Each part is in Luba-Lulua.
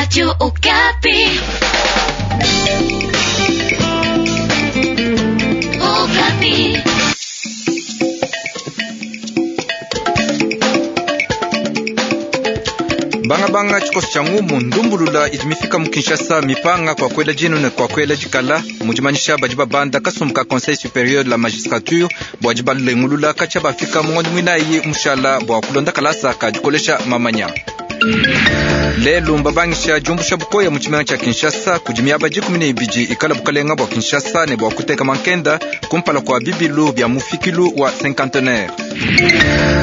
Radio Okapi. Okapi. Bangabanga tshikoso tshia ngumu ndumbulula idi mifika mu Kinshasa mipanga kwa kwela dinu ne kwa kwela dikala mudimanyisha badi babanda kasumbu ka Conseil supérieur de la magistrature bua dibalengulula katshia bafika mu ngondo muinayi mushala bua kulonda kalasa ka dikolesha mamanya. Lelu mbabangisha diumbusha bukoya mu tshimenga tshia Kinshasa kudi miaba 12 ikala bukalenga bua Kinshasa ne bua kuteka mankenda kumpala kua bibilu bia mufikilu wa cinquantenaire.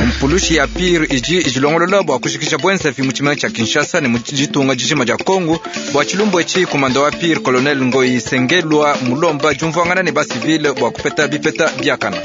Mpulushi ya pire idi idilongolola bua kushikisha bwenzavi mu tshimenga tshia Kinshasa ne mu ditunga dijima dia Kongo bua tshilumbu etshi komanda wa pire colonel Ngoyi Sengelwa mulomba diumvuangana ne basivile bua kupeta bipeta biakana.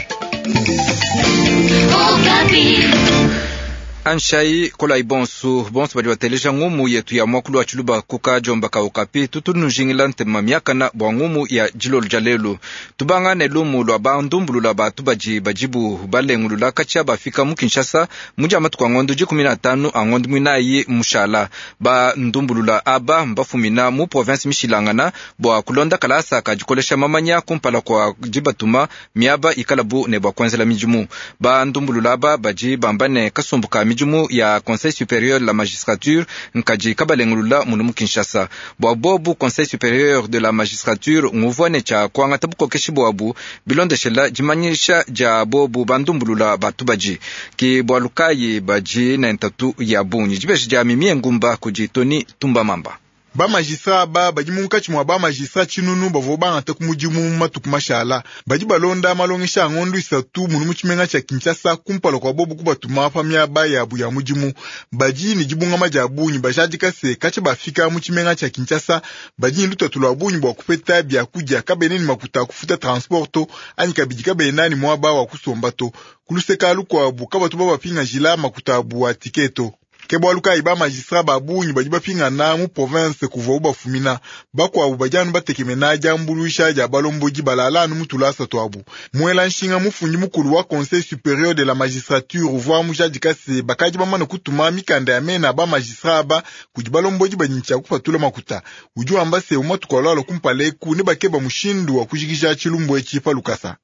Anshai kolai bonsu bonsu badi bateleja ngumu yetu ya mwakulu wa tshiluba kuka jomba ka Okapi tutu nujingila ntema miakana bua ngumu ya dilolo dia lelu tubanga ne lumu lua bandumbulula batu badi badibu balengulula katshia bafika mu Kinshasa mu dia matuku a ngondo 15 a ngondo muinayi mushala. Bandumbulula aba mbafumina mu province mishilangana bua kulonda kalasa ka dikolesha mamanya kumpala kua dibatuma miaba ikalabu ne bua kuenzela midimu. Bandumbulula aba badi bamba ne kasumbu ka midimu ya Conseil supérieur de la magistrature nkadi kabalengulula munu mu Kinshasa. Bua bobu Conseil supérieur de la magistrature nguvua ne tshia kuangata bukokeshi buabu bilondeshela dimanyisha dia bobu bandumbulula batu badi ki bualu kayi badi ne ntatu ya bungi. Dibeji dia Mimie Ngumba kudi Tony Tumbamamba. Ba magistrat aba badi munkatshi mua ba magistrat tshinunu bavua bangata ku mudimu mu matuku mashala. Badi balonda malongesha a ngondo 3 munu mu tshimenga tshia Kinshasa kumpala kua bobu kubatuma pa miaba yabu ya mudimu. Badi ne dibungama dia bungi bajadika se katshia bafika mu tshimenga tshia Kinshasa badi ne lutatu lua bungi bua kupeta biakudia, kabena ne makuta a kufuta transport to anyi kabidi kabena ne muaba wa kusomba to. Ku luseka lukuabu kabatu babapingajila makuta abu a tiketo. Ke bualu kayi ba magistrat ba bungi badi bapingana mu province kuvuabu bafumina. Bakuabu badi anu batekemena diambuluisha dia balombodi balala anu mu tulasa tuabu. Muela nshinga mufundi mukulu wa Conseil supérieur de la magistrature uvua mujadika se bakadi bamane kutuma mikanda ya mena ba magistrat aba kudi balombodi badi ne tshia kupatula makuta. Udi wamba se mu matuku alualua kumpala eku ne bakeba mushindu wa kujikija tshilumbu etshi pa lukasa.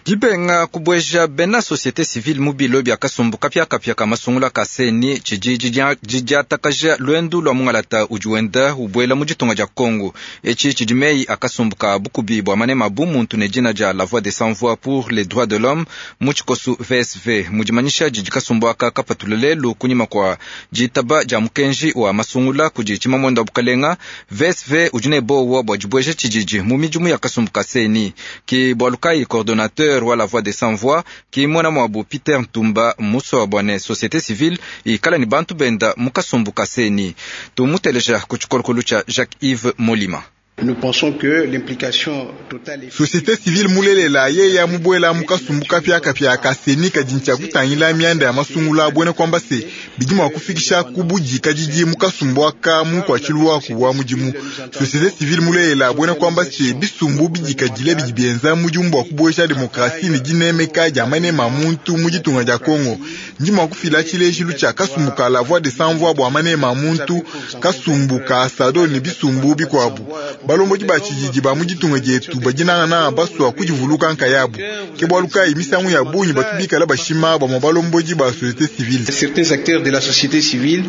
Dibenga kubueja bena société civile mu bilo bia kasumbu kapiakapia ka masungula ka seni tshidi didiatakaja luendu lua mungalata udi wenda ubuela mu ditunga dia Congo. Etshi tshidi meyi a kasumbu ka bukubi bua manema bu muntu ne dina dia La Voix des Sans Voix pour les droits de l'homme mu tshikosu VSV. Mu dimanyisha didi kasumbu aka kapatula lelu kunyima kua ditaba dia mukenji wa masungula kudi tshimamwenda wa bukalenga, VSV udi ne bowa bua dibueja tshididi mu midimu ya kasumbu ka seni. Ki bualu kayi coordonnateur wa La Voix des Sans Voix ki mwana mwabu Peter Ntumba muswa bua ne société civile ikala ni bantu benda mu kasumbu ka seni. Tumuteleja ku tshikolokolo tshia Jacques-Yves Molima. Nous pensons que l'implication totale et Société civile mulelela yeya mubuela mu kasumbu kapiakapia ka seni kadi ntshia kutangila mianda ya masungula buena kuamba se bidi mua kufikisha ku budikadidi mu kasumbu aka mu nkuatshilu waku wa mudimu. Société civile mulelela buena kuamba se bisumbu bidikadile bidi bienza mudimu bua kubuesha demokrasi ne dinemeka dia manema a muntu mu ditunga dia Kongo. Ndi mua kufila tshilejilu tshia kasumbu ka La Voix des Sans Voix bua manema a muntu, kasumbu ka Sado ne bisumbu bikuabu. Balombodi ba tshididi ba mu ditunga dietu badi nangananga basua kudivuluka nkayabu. Ke bualu kayi misangu ya bungi batu bikala bashima bamue balombodi ba société civile. Certains acteurs de la société civile.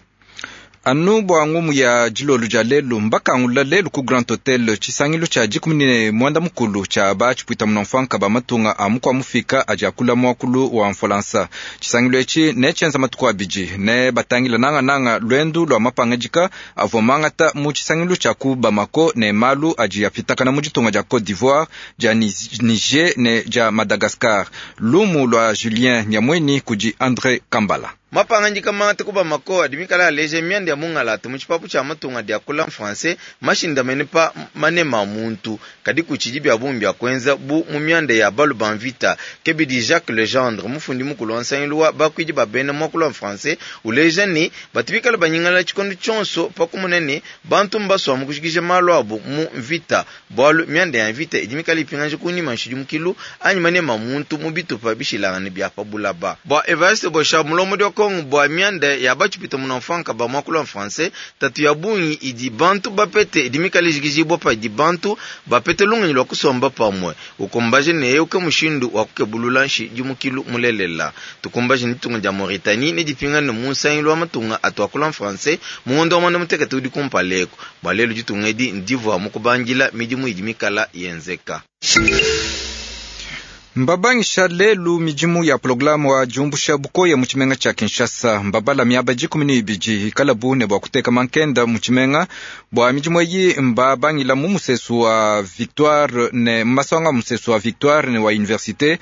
Anu bua ngumu ya dilolo dia lelu mbakangula lelu ku Grand Hotel tshisangilu tshia 19 tshia ba tshipuita munamfuanka ba matunga a mukua mufika adi akula muakulu wa Mfolansa. Tshisangilu etshi ne tshienza matuku abidi ne batangila nangananga luendu lua mapangadika avua mangata mu tshisangilu tshia ku Bamako ne malu adi apitakana mu ditunga dia Cote d'Ivoire, dia Niger ne dia Madagascar. Lumu lua Julien Nyamweni kudi André Kambala. Mapangadika mangata ku Bamako adi mikala aleja mianda ya mungalata mu tshipapu tshia matunga dia kula français mashindamene pa manema a muntu kadi kutshidi bia bungi bia kuenza bu mu mianda ya balu ba mvita. Kebidi Jacques Legendre mufundi mukulu wa nsangilu wa bakuidi ba bena muakulu wa français uleja ne batu bikala banyingala tshikondo tshionso pa kumona ne bantu mbasua mu kujikija malu abu mu mvita bualu mianda ya mvita idi mikala ipingaja kunyima nshidimukilu anyi manema a muntu mu bitupa bishilangane bia pa bulaba. Bua Evariste Bosha mulombodi wa Kongo bua mianda ya batshipwita munamfuanka ba muakulu wa français, ntatu ya bungi idi bantu bapete idi mikale ijikijibua padi bantu bapete lungenyi lua kusomba pamue. Ukumbaje ne eu ke mushindu wa kukebulula nshidimukilu mulelela. Tukumbaje ne ditunga dia Mauritanie nedipingane mu nsangilu wa matunga atu akula français mu ngondo wa muanda mutekete udi kumpala eku. Bua lelu ditunga edi ndivua mu kubangila midimu idi mikala yenzeka. Mbabangisha lelu midimu ya programu wa diumbusha bukoya mu tshimenga tshia Kinshasa. Mbabala miaba 12 ikalabu ne bua kuteka mankenda mu tshimenga. Bua midimu eyi mbabangila mu musesu wa Victoire ne masonga musesu wa Victoire ne wa Université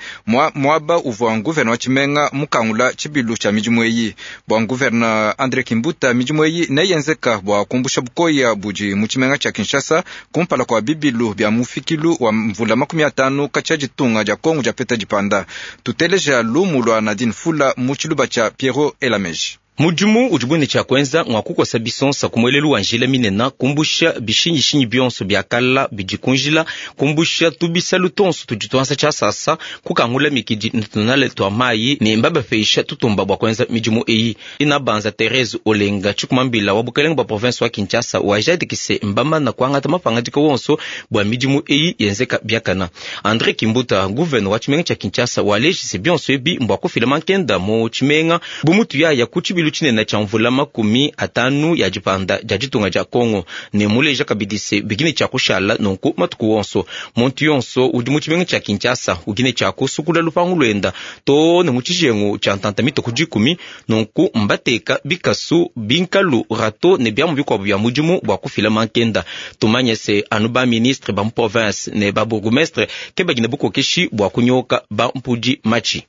muaba uvua gouverneur wa tshimenga mukangula tshibilu tshia midimu eyi. Bua gouverneur André Kimbuta, midimu eyi neyenzeka bua kumbusha bukoya budi mu tshimenga tshia Kinshasa kumpala kua bibilu bia mufikilu wa mvula 50 katshia ditunga dia Kongo dia peta dipanda. Tuteleja lumu lwa Nadine Fula mu tshiluba tshia Pierrot Elameji. Mudimu udi ne tshia kuenza ngua kukosa bisonsa ku muelelu wa njila minene, kumbusha bishinyishinyi bionso bia kala bidi ku njila, kumbusha tubisalu tonso tudi tuansa tshiasasa, kukangula mikidi ne tunale tua mayi ne mbabapesha tutumba bua kuenza midimu eyi. Inabanza Therese Olenga tshikumambila wa bukelenge bua province wa Kinshasa wajadikise mbamana kuangata mapangadika wonso bua midimu eyi yenzeka biakana. André Kimbuta gouverneur wa tshimenga tshia Kinshasa walejise bionso ebi mbua kufila mankenda mu tshimenga bu mutu yaya ku tshibilu tshinene tshia mvula 50 ya dipanda dia ditunga dia Kongo ne muleja kabidi se bikine tshia kushala nunku matuku wonso. Muntu yonso udi mu tshimenga tshia Kinshasa ukine tshia kusukula lupangu luenda to ne mu tshijengu tshia ntanta mituku 10 nunku mbateka bikasu binkalu rato ne biamu bikuabu bia mudimu bua kufila mankenda. Tumanye se anu ba ministre ba mu province ne ba bourgmestre ke bagine bukokeshi bua kunyoka ba mpudi machi.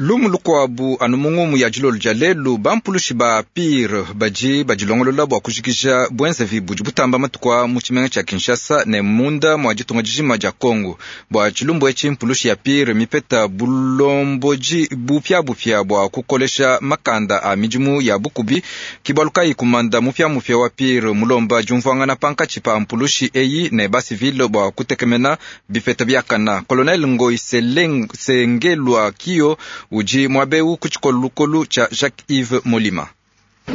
Lumu lukuabu anu mungumu ya dilolo dia lelu, bampulushi ba pire badi badilongolola bua kujikija bwenzevi budi butamba matuku mu tshimenga tshia Kinshasa ne munda mua ditunga dijima dia Kongo. Bua tshilumbu etshi mpulushi ya pire mipeta bulomboji bupiabupia bua kukolesha makanda a midimu ya bukubi. Kibalukai kumanda mupiamupia wa pire mulomba diumvuangana pankatshi pa mpulushi eyi ne basivile bua kutekemena bipeta biakana. Colonel Ngoi Sengelwa Kio uji mwabeu kuchikolukolu cha Jacques-Yves Molima.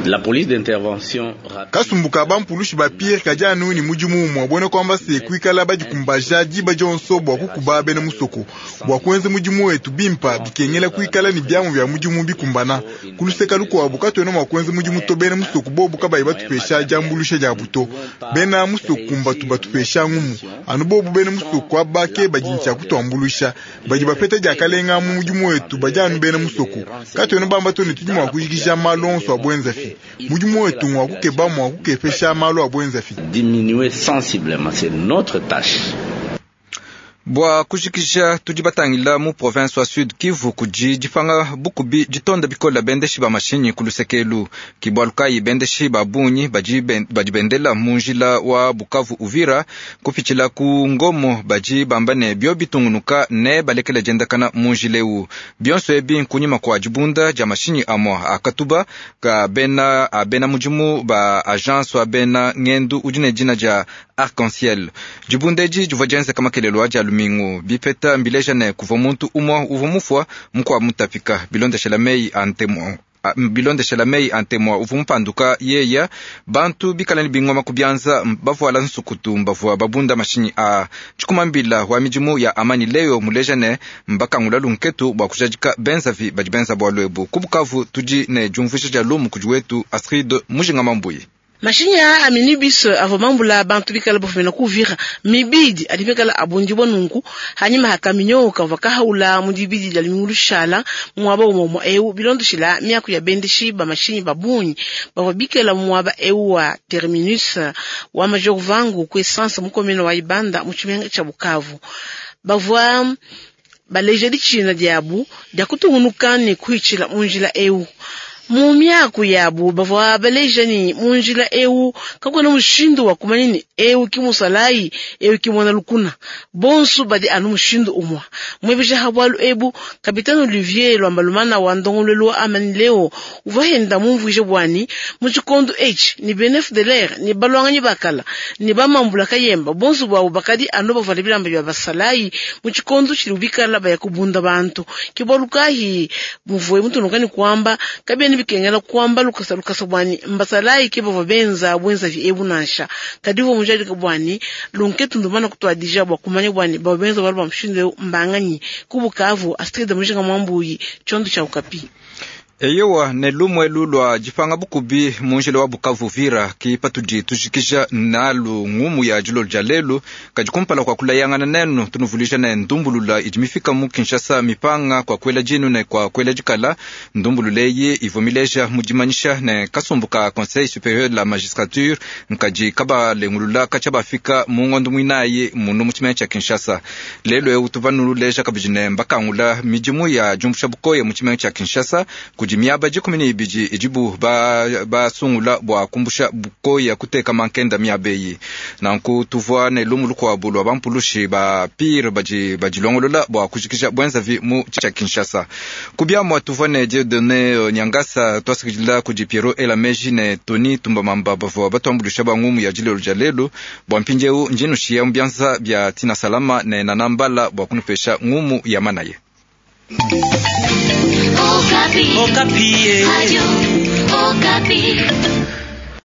La police d'intervention rapide. Kasumbuka bampulushi ba Pierre kajanu ni mudimu umwe bwene kwamba se kuikala badikumbaja diba dionso bua kukuba bena musoko bua kuenza mudimu wetu bimpa bikengela kuikala ni biamu bya mudimu bikumbana kuluseka lukuabu katuena mua kuenza mudimu to bena musoko bobu kabayi batupesha diambulusha dia buto bena musoko mbatu batupesha ngumu anu bobu bena musoko abake badi kutuambulusha badi bapeta diakalenga mu mudimu wetu badi anu bena musoko katuena bamba to ne tudi mua kujikija malu onso a bwenza fi mudimu wetu ngwa kukeba mwa kukepesha malu a bwenza fi. Diminuer sensiblement, c'est notre tâche. Bua kujikija tudi batangila mu province wa Sud Kivu kudi dipanga bukubi ditonda bikola bendeshi ba mashinyi ku lusekelu kibwalukayi bendeshi ba bunyi badi bendela mu njila wa Bukavu Uvira kupitshila ku Ngomo badi bamba ne bio bitungunuka ne balekela diendakana mu njila eu bionso ebi nkunyima kua dibunda dia mashinyi amua akatuba ka bena abena mudimu ba agence wa bena ngendu udi ne dina dia Arc-en-Ciel. Dibunda edi divua dienzeka makelelo a dia lumingu bipeta mbileja ne kuva muntu umua uvua mufua mukua mutapika bilondeshela mei a ntemua uvua mupanduka yeya bantu bikala ne bingoma ku bianza bavuala nsukutu mbavua babunda mashinyi a tshikumambila wa midimu ya amani leo muleja ne mbakangula lunketu bua kujadika benzavi badi benza bua lwebu ku Bukavu tudi ne diumvuija dia lumu kudi wetu Astrid Mujinga Mambuyi. Mashinyi a minibus avua mambula bantu bikala bafumina ku Uvira mibidi adi bikala abundibua nunku hanyima hakaminyo kavua kahaula mu dibidi dia lumingu lushala muaba umwe eu bilondoshila miaku ya bendeshi ba mashinyi babunyi bavua bikala muaba eu wa terminus wa Major Vangu ku essence mu commune wa Ibanda mu tshimenga tshia Bukavu bavua baleja ditshina diabu dia kutungunuka ne kuhitshila mu njila eu. Mu miaku yabu bavua baleja ne mu njila eu kakuena mushindu wa kumanya ne eu ki musalayi eu ki muena lukuna, bonso badi anu mushindu umue. Muebeja ha bualu ebu Kapitene Olivier Lwambalumana wa ndongoluelu wa Amani Leo uvua henda mumvuije bua ne mu tshikondo etshi ne bena FDLR ne balwanganyi bakala ne bamambula kayemba bonso buabu bakadi anu bavuale bilamba bia basalayi mu tshikondo tshidi bikala baya kubunda bantu. Ke bualu kayi muvue mutunuka ne kuamba kabiena bikengela kuamba lukasa lukasa bua ne mbasalayi ke bavua benza buenzavi ebu nansha, kadi uvua mujadike bua ne lunketu ndumana kutuadija bua kumanya bua ne bavua benza bualu bua mushindu eu mbanganyi. Ku Bukavu, Astrid Mujinga Mwambuyi, tshiondo tshia Okapi. Eyowa ne lumu elu lua dipanga bukubi mu njila wa Bukavu Uvira ki patudi tujikija nalu ngumu ya dilolo dia lelu. Kadi kumpala kua kulayangana nenu tunuvuluija ne ndumbulula idi mifika mu Kinshasa mipanga kua kuela dinu ne kua kuela dikala. Ndumbulula eyi ivua mileja mu dimanyisha ne kasumbu ka Conseil superieur de la magistrature nkadi kabalengulula katshia bafika mu ngondo muinayi munu mu tshimenga tshia Kinshasa. Lelu eu tuvua nuleja kabidi ne mbakangula midimu ya diumbusha bukoya mu tshimenga tshia Kinshasa kudi miaba 12 idibu basungula bua kumbusha bukoya kuteka mankenda miaba eyi. Nanku tuvua ne lumu lukuabu lua bampulushi ba pire badi badilongolola bua kujikija buenzavi mu tshia Kinshasa. Ku biamua tuvua ne Dieudonné Nyangasa tuasakidila kudi Pierrot Elameji ne Tony Tumbamamba bavua batuambuluisha ba ngumu ya dilolo dia lelu. Bua mpindieu ndi nushiya mu bianza bia Tina Salama ne Nana Mbala bua kunupesha ngumu ya manaye. Okapi. Okapi. Radio Okapi.